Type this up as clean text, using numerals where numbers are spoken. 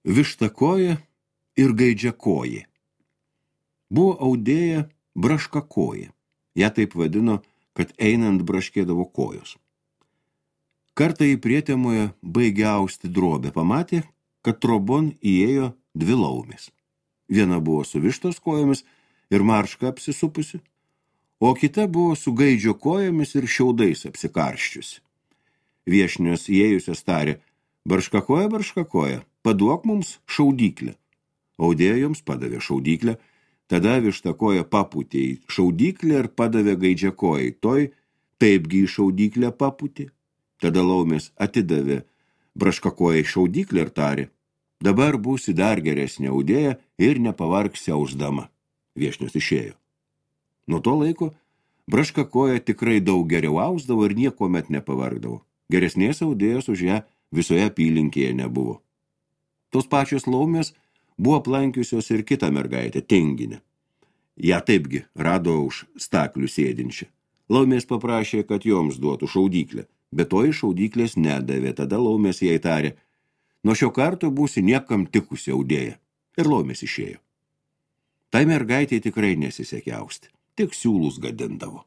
Vištakoja ir gaidžiakoja. Buvo audėja braškakoja. Ja taip vadino, kad einant braškėdavo kojos. Kartą į prietemoje baigė austi drobę, pamatė, kad trobon įėjo 2 laumės. Viena buvo su vištos kojomis ir marška apsisupusi, o kita buvo su gaidžio kojomis ir šiaudais apsikarščiusi. Viešnios įėjusios tarė: barškakoja, paduok mums šaudyklę. Audėja joms padavė šaudyklę, tada vištakoja papūtė į šaudyklę ir padavė gaidžiakojai, toj taipgi į šaudyklę papūtė. Tada laumės atidavė braškakojai šaudyklę ir tarė: dabar būsi dar geresnė audėja ir nepavargsi ausdama. Viešnios išėjo. Nuo to laiko braškakoja tikrai daug geriau ausdavo ir niekuomet nepavargdavo. Geresnės audėjos už ją visoje apylinkėje nebuvo. Tos pačios laumės buvo aplankiusios ir kitą mergaitę, Tinginę. Ja taipgi rado už staklių sėdinčią. Laumės paprašė, kad joms duotų šaudyklę, bet to iš šaudyklės nedavė. Tada laumės jai tarė: nuo šio karto būsi niekam tikusi audėja. Ir laumės išėjo. Tai mergaitė tikrai nesisekė austi, tik siūlus gadindavo.